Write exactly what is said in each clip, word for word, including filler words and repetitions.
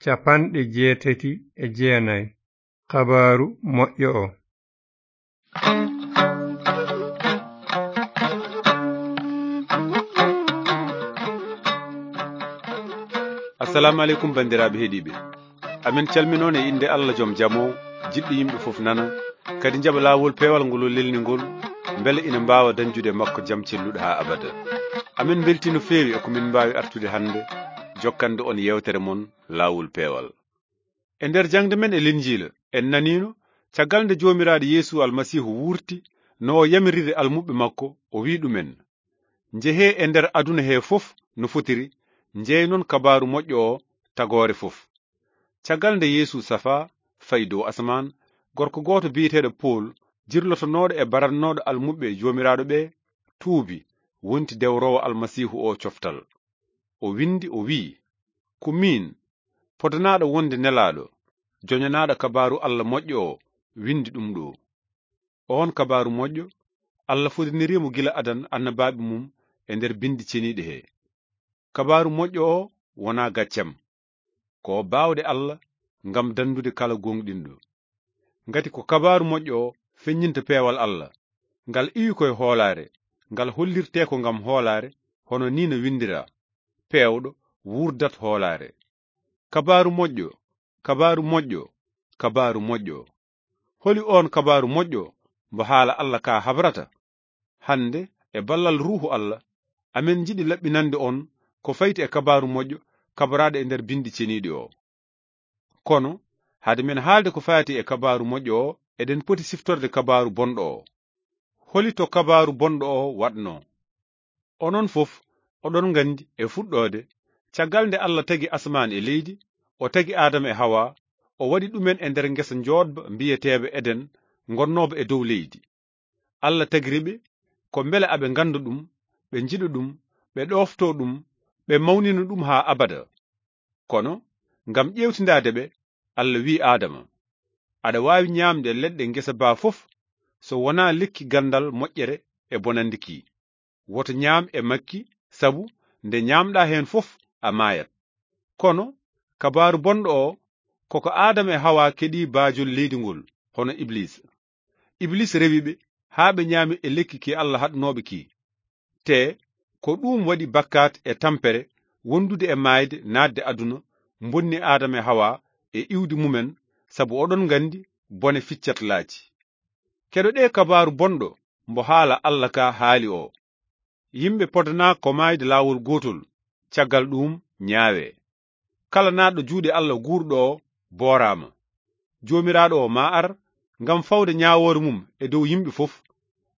capanɗe jeetati e jeenayi. Kabaaru moƴƴo o. Assalamu aleykum, banndiraaɓe heɗiiɓe. Amin calminoon e innde Allah joom jam o, jiɗɗo yimɓe fof nana, kadi njaɓa laawol peewal ngol o lelni ngol, mbele ina mbaawa dañjude e makko jam celluɗo haa abada. Amin mbeltii no feewi e ko min mbaawi artude hannde, jokkande on yeewtere mon laawol peewal. E nder jaŋde men e Linjiila, en naniino, caggal nde Joomiraaɗo Yeesu Almasiihu wuurti, no o yamiriri almuɓɓe makko, o wi'i ɗumen, "Njehee e nder aduna hee fof no fotiri, njeynon kabaaru moƴƴo o tagoore fof." Caggal nde Yeesu safaa, fayi dow asamaan, gorko gooto biyeteeɗo Pool, jirlotonooɗo e barannooɗo almuɓɓe Joomiraaɗo ɓe, tuubi, wonti dewroowo Almasiihu o coftal. O winndi, o wi'i, "Ko miin, podanaaɗo wonde nelaaɗo, joñanaaɗo kabaaru Allah moƴƴo o, winndi ɗum ɗo." Oon kabaaru moƴƴo, Allah fodiniri mo gila adan annabaaɓe mum e nder binndi ceniiɗi he. Kabaaru moƴƴo o wonaa gaccam. Ko baawɗe Allah ngam danndude kala gooŋɗinɗo. Ngati ko kabaaru moƴƴo o feññinta peewal Allah, ngal iwi ko e hoolaare, ngal hollirtee ko ngam hoolaare, hono nii no winndiraa, "Peewɗo wuurdat hoolaare." Kabaaru moƴƴo, kabaaru moƴƴo, kabaaru moƴƴo. Holi oon kabaaru moƴƴo mbo haala Allah ka habrata? Hannde, e ballal Ruuhu Allah, amin njiɗi laɓɓinande on ko fayti e kabaaru moƴƴo kabraaɗo e nder binndi ceniiɗi o. Kono, hade men haalde ko fayti e kabaaru moƴƴo o, eɗen poti siftorde kabaaru bonɗo o. Holi to kabaaru bonɗo o waɗnoo? Onon fof, oɗon nganndi e fuɗɗoode, caggal nde Allah tagi asamaan e leydi, o tagi Aadama e Hawa, o waɗi ɗumen e nder ngesa njoodba mbiyeteeba Eden, ngonnooba e dow leydi. Allah tagiri ɓe ko mbele aɓe ngannda ɗum, ɓe njiɗa ɗum, ɓe ɗooftoo ɗum, ɓe mawnina ɗum haa abada. Kono, ngam ƴeewtindaade ɓe, Allah wi'i Aadama, "Aɗa waawi ñaamde leɗɗe ngesa baa fof, so wonaa lekki ganndal moƴƴere e bonannde ki. Woto ñaam e makki, sabu nde ñaamɗaa heen fof, a maayat." Kono, kabaaru bonɗo o, ko ko Aadama e Hawa keɗii baajol leydi ngol, hono Ibliisa. Ibliisa rewi ɓe haa ɓe ñaami e lekki ki Allah haɗnooɓe ki. Te ko ɗuum waɗi bakkaat e tampere wondude e maayde naatde aduna, bonni Aadama e Hawa e iwdi mumen, sabu oɗon nganndi bone ficcat laaci. Keɗoɗee kabaaru bonɗo mbo haala Allah ka haali o. Yimɓe podanaa ko maayde laawol gootol, caggal ɗuum ñaawee. Kala naatɗo juuɗe Allah guurɗo o booraama. Joomiraaɗo o maa ar ngam fawde ñaawoore mum e dow yimɓe fof,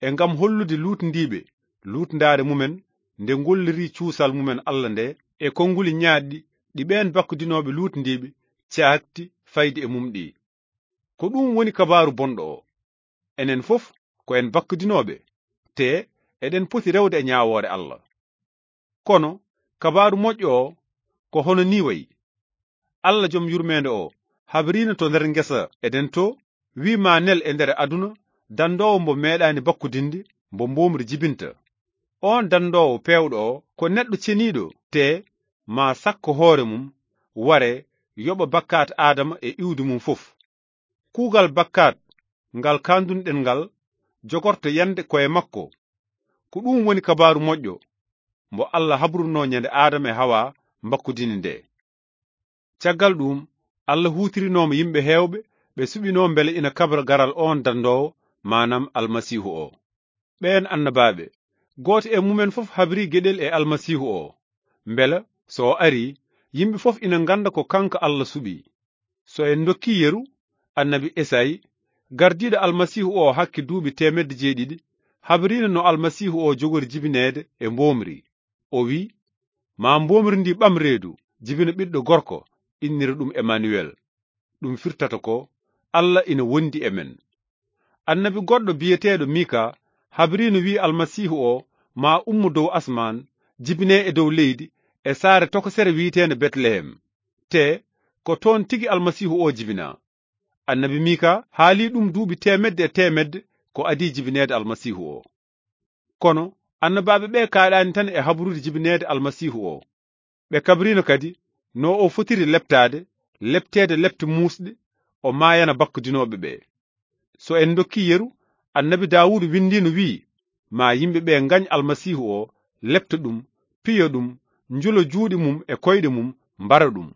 e ngam hollude luutndiiɓe luutndaare mumen nde ngolliri cuusal mumen Allah nde, e konnguli ñaaɗɗi ɗi ɓeen bakkudinooɓe luutndiiɓe caakti fayde e mum ɗi. Ko ɗuum woni kabaaru bonɗo o. Enen fof ko en bakkudinooɓe, te eɗen poti rewde e ñaawoore Allah. Kono kabaaru moƴƴo o ko hono nii wayi. Allah jom yurmeende o habriino to nder ngesa Eden to, wi'i ma nel e nder aduna danndoowo mbo meeɗaani bakkudinde, mbo mboomri jibinta. Oon danndoowo peewɗo o ko neɗɗo ceniiɗo, te ma sakko hoore mum, ware yoɓa bakkaat Aadama e iwdi mum fof. Kuugal bakkaat ngal kaandunɗen ngal jogorto yande koye makko. Ko ɗuum woni kabaaru moƴƴo mbo Allah habrunoo ñande Aadama e Hawa mbakkudini nde. Caggal ɗuum, Allah huutirinooma yimɓe heewɓe ɓe suɓinoo mbele ina kabra garal oon danndoowo, maanaam Almasiihu o. Ɓeen annabaaɓe, gooto e mumen fof habri geɗel e Almasiihu o, mbela so o arii, yimɓe fof ina ngannda ko kanko Allah suɓi. So en ndokkii yeru, annabi Esayi, gardiiɗo Almasiihu o hakke duuɓi teemedde jeeɗiɗi, habriino no Almasiihu o jogori jibineede e mboomri. O wi'i, "Ma mboomri ndi ɓam reedu, jibina ɓiɗɗo gorko, innira ɗum Emanuwel." Ɗum firtata ko, "Allah ina wondi e men." Annabi goɗɗo biyeteeɗo Mika habriino, wi'i, "Almasiihu o ma ummo dow asmaan, jibine e dow leydi, e saare tokosere wi'eteende Betlehem. Te ko toon tigi Almasiihu o jibinaa." Annabi Mika haali ɗum duuɓi teemedde e teemedde ko adii jibineede Almasiihu o. Kono annabaaɓe ɓe kaaɗaani tan e habrude jibineede Almasiihu o. Ɓe kabriino kadi no o fotiri leptaade, lepteede lepte muusɗe, o maayana bakkudinooɓe ɓe. So en ndokkii yeru, Annabi Daawuda winndiino wi'i, "Maa yimɓe ɓe ngañ Almasiihu o, lepta ɗum, piya ɗum, njula juuɗe mum e koyɗe mum, mbara ɗum."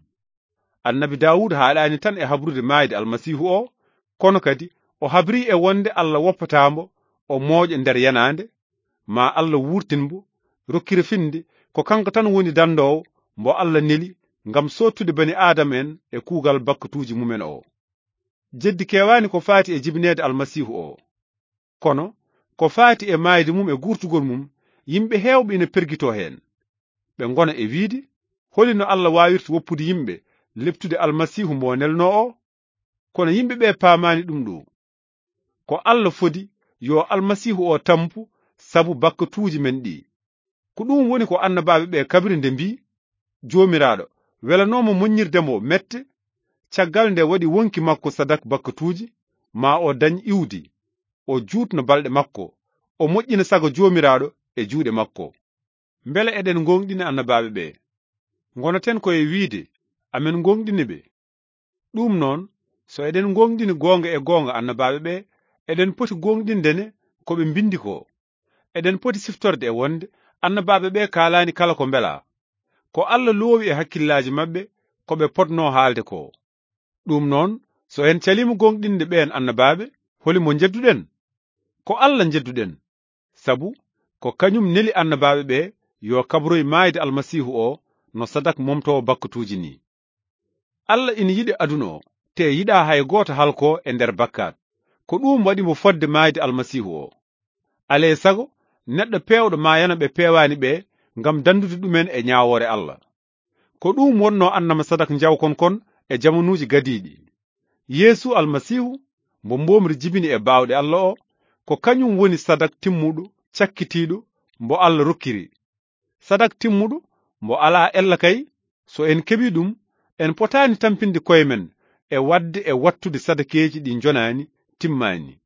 Annabi Daawuda haaɗaani tan e habrude maayde Almasiihu o, kono kadi o habrii e wonde Alla woppataa mbo, o mooƴa nder yanaande, maa Alla wuurtin mbo, rokkira finde, ko kanko tan woni danndoowo mbo Alla neli ngam soottude bani Aadama en e kuugal bakkatuuji mumen o. Jeddi kewaani ko faati e jibineede Almasiihu o. Kono, ko faati e maayde mum e guurtugol mum, yimɓe heewɓe ina pergitoo heen. Ɓe ngona e wiide, "Holi no Alla waawirta woppude yimɓe leptude Almasiihu mo nelnoo o?" Kono yimɓe ɓe paamaani ɗum ɗo. Ko Alla fodi yo Almasiihu o tampu sabu bakkatuuji men ɗi. Ko ɗum woni ko annabaaɓe ɓe kabri nde mbii, "Joomiraaɗo welanooma moññirde mo mette, caggal nde waɗi wonki makko sadak bakkatuuji, ma o dañ iwdi, o juutno balɗe makko, o moƴƴina sago Joomiraaɗo e juuɗe makko." Mbele eɗen ngoongɗini annabaaɓe ɓe? Ngonaten ko e wiide, amen ngoongɗini ɓe. Ɗum noon, so eɗen ngoongɗini goonga e goonga annabaaɓe ɓe, eɗen poti goongɗinde ne ko ɓe mbinndi ko. Eɗen poti siftorde e wonde annabaaɓe ɓe kaalaani kala ko mbelaa. Ko Alla loowi e hakkillaaji maɓɓe ko ɓe potnoo haalde ko. Ɗum noon, so en caliima goongɗinde ɓeen annabaaɓe, holi mo njedduɗen? Ko Alla njedduɗen, sabu ko kañum neli annabaaɓe ɓe yo kabroy maayde Almasiihu o no sadak momtoowo bakkatuuji ni. Alla ina yiɗi aduna o, te yiɗaa hay gooto halkoo e nder bakkaat. Ko ɗuum waɗi mo fodde maayde Almasiihu o. Alaa e sago, neɗɗo peewɗo maayana ɓe peewaani ɓe ngam danndude ɗumen e ñaawoore Alla. Ko ɗuum wonnoo annama sadak njawkon kon e jamanuuji gadiiɗi. Yeesu Almasiihu, mbo mboomri jibini e baawɗe Alla o, ko kañum woni sadak timmuɗo, cakkitiiɗo, mbo Alla rokkiri. Sadak timmuɗo, mbo alaa ella kay, so en keɓii ɗum, en potaani tampinde koye men e waɗde e wattude sadakeeji ɗi njonaani, timmaani.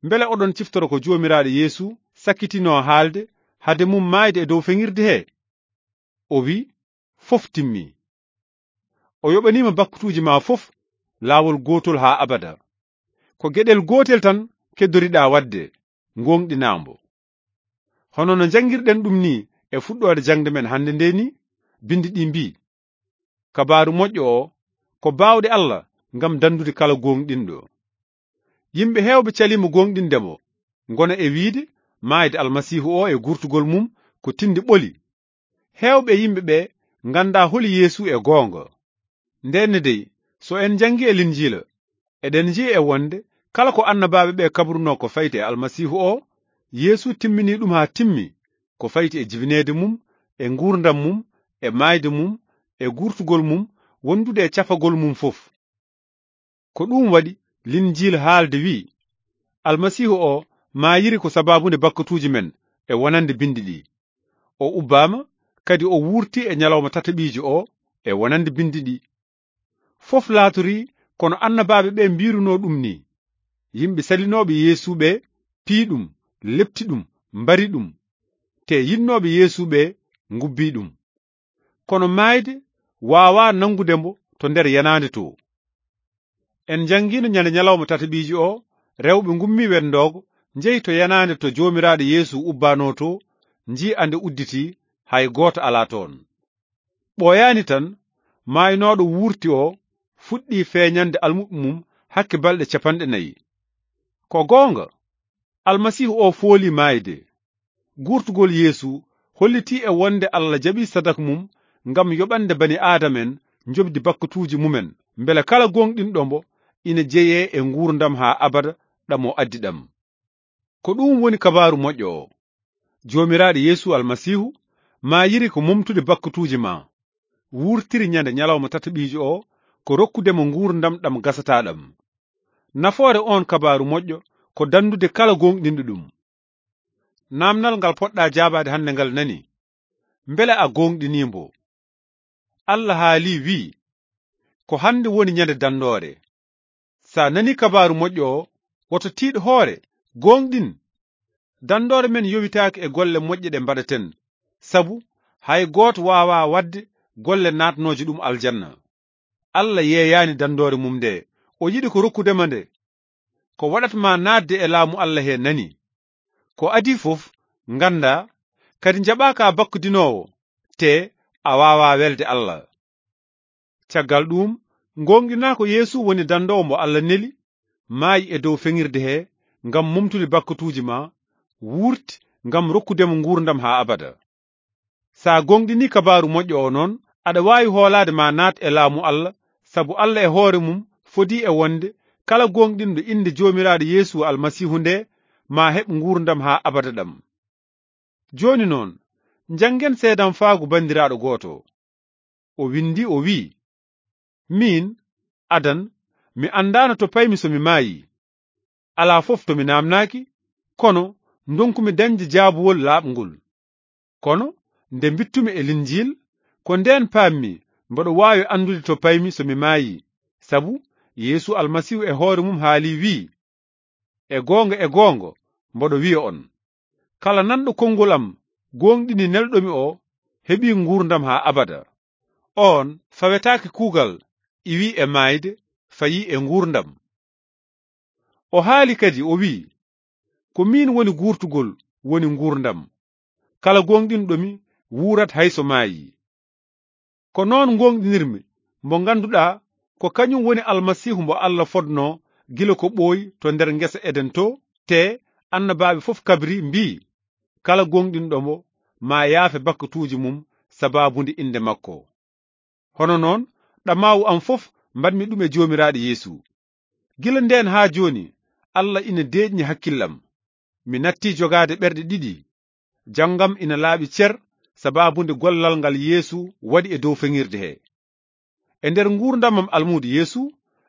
Mbele oɗon ciftoro ko Joomiraaɗo Yeesu sakkitinoo haalde hade mum maayde e dow feŋirde he? O wi'i, "Fof timmii." O yoɓaniima bakkatuuji maa fof laawol gootol haa abada. Ko geɗel gootel tan keddoriɗaa waɗde, ngooŋɗinaa mbo. Hono no njanngirɗen ɗum nii e fuɗɗoode jaŋde men hannde nde nii, binndi ɗi mbii, Kabaaru moƴƴo o ko baawɗe Alla ngam danndude kala gooŋɗinɗo. Yimɓe heewɓe caliima gooŋɗinde mo, ngona e wiide maayde Almasiihu o e guurtugol mum ko tindi ɓoli. Heewɓe e yimɓe ɓe nganndaa holi Yeesu e goonga. Ndenne dey, so en njanngi e Linjiila, eɗen njiya e wonde kala ko annabaaɓe ɓe kabrunoo ko fayti e Almasiihu o, Yeesu timmini ɗum haa timmi, ko fayti e jibineede mum, e nguurndam mum, e maayde mum, e guurtugol mum, wondude e cafagol mum fof. Ko ɗum waɗi Linjiila haalde wi'i, Almasiihu o maayiri ko sabaabu nde bakkatuuji men e wonande binndi ɗi. O ubbaama, kadi o wuurti e ñalawma tataɓiijo o e wonande binndi ɗi. Fof laatorii kono annabaaɓe ɓe mbiirunoo ɗum nii. Yimɓe salinooɓe Yeesu ɓe pii ɗum, lepti ɗum, mbari ɗum. Te yiɗnooɓe Yeesu ɓe ngubbii ɗum. Kono maayde waawaa nanngude mbo to nder yanaande to. En njanngiino ñande ñalawma tataɓiiji o, rewɓe ngummii wenndoogo, njehi to yanaande to Joomiraaɗo Yeesu ubbaanoo to, njiya nde udditii, hay gooto alaa toon. Ɓooyaani tan, maaynooɗo wuurti o fuɗɗii feeñande almuɓɓe mum hakke balɗe capanɗe nayi. Ko goonga, Almasiihu o fooli maayde. Guurtugol Yeesu hollitii e wonde Alla jaɓii sadak mum ngam yoɓande bani Aadama en njoɓdi bakkatuuji mumen, mbele kala gooŋɗinɗo mbo ina jeyee e nguurndam haa abada ɗam o addi ɗam. Ko ɗum woni kabaaru moƴƴo o. Joomiraaɗo Yeesu Almasiihu maayiri ko momtude bakkatuuji ma, wuurtiri ñande ñalawma tataɓiijo o ko rokkude mo nguurndam ɗam gasataa ɗam. Nafoore oon kabaaru moƴƴo ko danndude kala gooŋɗinɗo ɗum. Naamnal ngal poɗɗaa jaabaade hannde ngal nani, mbele a gooŋɗinii mbo? Alla haalii wi'i, ko hannde woni ñande danndoore. Sa nani kabaaru moƴƴo o, woto tiiɗ hoore, gooŋɗin. Danndoore men yowitaaki e golle moƴƴe ɗe mbaɗaten, sabu hay gooto waawaa waɗde golle naatnooje ɗum aljanna. Allah yeeyaani danndoore mum nde. O yiɗi ko rokkude ma nde. Ko waɗat ma naatde e laamu Allah he nani. Ko adii fof, nganndaa, kadi njaɓaa ka bakkudinoowo, te a waawaa welde Allah. Caggal ɗuum, ngooŋɗinaa ko Yeesu woni danndoowo mo Allah neli, maayi e dow feŋirde he, ngam momtude bakkatuuji ma, wuurti ngam rokkude mo nguurndam haa abada. So a gooŋɗinii kabaaru moƴƴo o noon, aɗa waawi hoolaade ma naat e laamu Allah, sabu Allah e hoore mum fodii e wonde kala gooŋɗinɗo innde Joomiraaɗo Yeesu Almasiihu nde, ma heɓ nguurndam haa abada ɗam. Jooni noon, njanngen seedamfaagu banndiraaɗo gooto. O winndi, o wi'i, "Miin, adan, mi anndaano to paymi so mi maayii. Alaa fof to mi naamnaaki, kono ndonkumi dañde jaabuwol laaɓngol. Kono nde mbittumi e Linjiil, ko ndeen paammi mboɗo waawi anndude to paymi so mi maayii, sabu Yeesu Almasiihu e hoore mum haalii wi'i, 'E goonga, e goonga, mboɗo wi'a on, kala nanɗo konngol am, gooŋɗini nelɗo mi o, heɓii nguurndam haa abada. Oon fawetaake kuugal, iwii e maayde, fayii e nguurndam.'" O haali kadi, o wi'i, "Ko miin woni guurtugol, woni nguurndam. Kala gooŋɗinɗo mi wuurat hay so maayii." Ko noon ngooŋɗinirmi mo ngannduɗaa ko kañum woni Almasiihu mo Allah fodnoo gila ko ɓooyi to nder ngesa Eden to, te annabaaɓe fof kabri mbi'i, "Kala gooŋɗinɗo mo, maa yaafe bakkatuuji mum sabaabu nde innde makko." Hono noon, ɗamaawu am fof mbaɗmi ɗum e Joomiraaɗo Yeesu. Gila ndeen haa jooni, Allah ina deeƴni hakkillam. Mi nattii jogaade ɓerɗe ɗiɗi. Janngam ina laaɓi cer sabaabu nde gollal ngal Yeesu waɗi e dow feŋirde he. E nder nguurndam am almuudo Yeesu,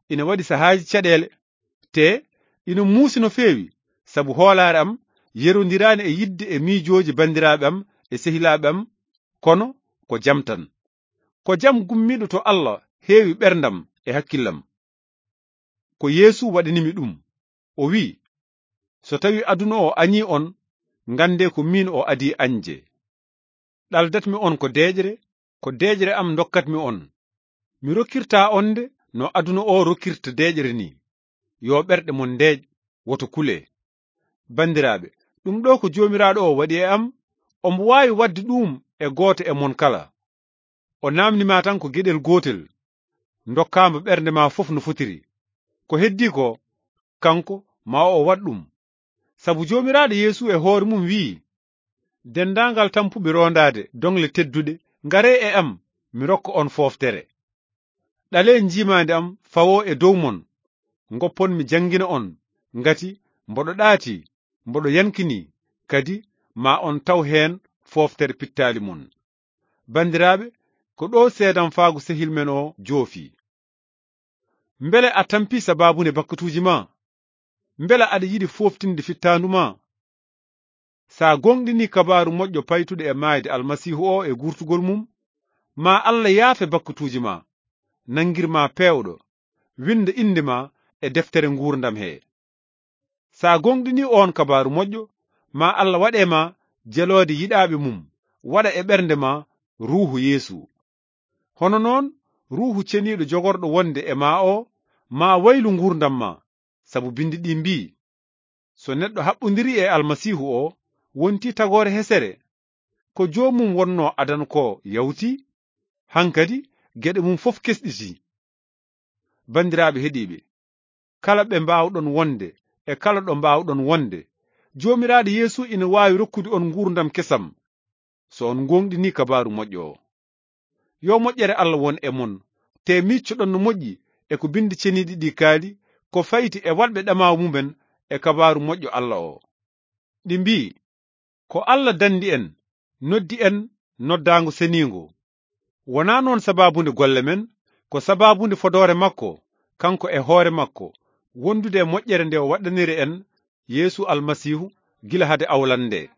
ina waɗi sahaaji caɗeele, te ina muusi no feewi, sabu hoolaare am yerondiraani e yiɗde e miijooji banndiraaɓe am e sehilaaɓe am, kono ko jam tan. Ko jam gummiiɗo to Allah heewi ɓerndam e hakkillam. Ko Yeesu waɗanimi ɗum. O wi'i, "So tawi aduna o añii on, nganndee ko miin o adii añde. Ɗaldatmi on ko deeƴre, ko deeƴre am ndokkatmi on. Mi rokkirtaa on nde no aduna o rokkirta deeƴre ni. Yo ɓerɗe mon ndeeƴ, woto kulee." Banndiraaɓe, ɗum ɗo ko Joomiraaɗo o waɗi e am, omo waawi waɗde ɗum e gooto e mon kala. O naamni ma tan ko geɗel gootel, ndokkaa mo ɓernde ma fof no fotiri. Ko heddii ko, kanko ma o waɗ ɗum. Sabu Joomiraaɗo Yeesu e hoore mum wi'i, "Denndaangal tampuɓe roondaade doŋle tedduɗe, ngaree e am, mi rokka on fooftere. Ɗalee njiimaandi am fawoo e dow mon, ngoppon mi janngina on, ngati mboɗo ɗaati, mboɗo yankini, kadi ma on taw heen fooftere pittaali mon." Banndiraaɓe, ko ɗo seedamfaagu sehil men o joofi. Mbele a tampii sabaabu nde bakkatuuji ma? Mbele aɗa yiɗi fooftinde fittaandu ma? Sa gooŋɗinii kabaaru moƴƴo paytuɗo e maayde Almasiihu o e guurtugol mum, ma Allah yaafe bakkatuuji ma, nanngir ma peewɗo, winnda innde ma e deftere nguurndam he. Sa gooŋɗinii oon kabaaru moƴƴo, ma Allah waɗe ma jeloode yiɗaaɓe mum, waɗa e ɓernde ma Ruuhu Yeesu. Hono noon, Ruuhu Ceniiɗo jogorɗo wonde e ma o, ma waylu nguurndam ma, sabu binndi ɗi mbii, "So neɗɗo haɓɓondirii e Almasiihu o, wontii tagoore hesere. Ko joomum wonnoo adan ko yawti, hankadi geɗe mum fof kesɗitii." Banndiraaɓe heɗiiɓe, kala ɓe mbaawɗon wonde e kala ɗo mbaawɗon wonde, Joomiraaɗo Yeesu ina waawi rokkude on nguurndam kesam, so on ngooŋɗinii kabaaru moƴƴo o. Yo moƴƴere Allah won e mon, te miccoɗon no moƴƴi e ko binndi ceniiɗi ɗi kaali, ko fayti e waɗɓe ɗamaawu mumen e kabaaru moƴƴo Allah o. Ɗi mbii, "Ko Allah danndi en, noddi en noddaango seniingo. Wonaa noon sabaabunde golle men, ko sabaabunde fodoore makko, kanko e hoore makko, wondude e moƴƴere nde o waɗdaniri en Yeesu Almasiihu gila hade awlande nde."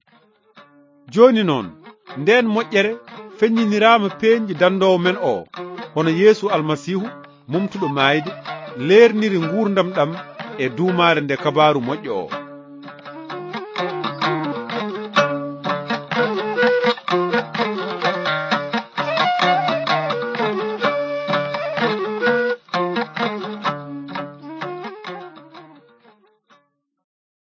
Jooni noon, ndeen moƴƴere feññiniraama peeñɗi danndoowo men o, hono Yeesu Almasiihu, momtuɗo maayde, leerniri nguurndam ɗam e duumaare nde kabaaru moƴƴo o.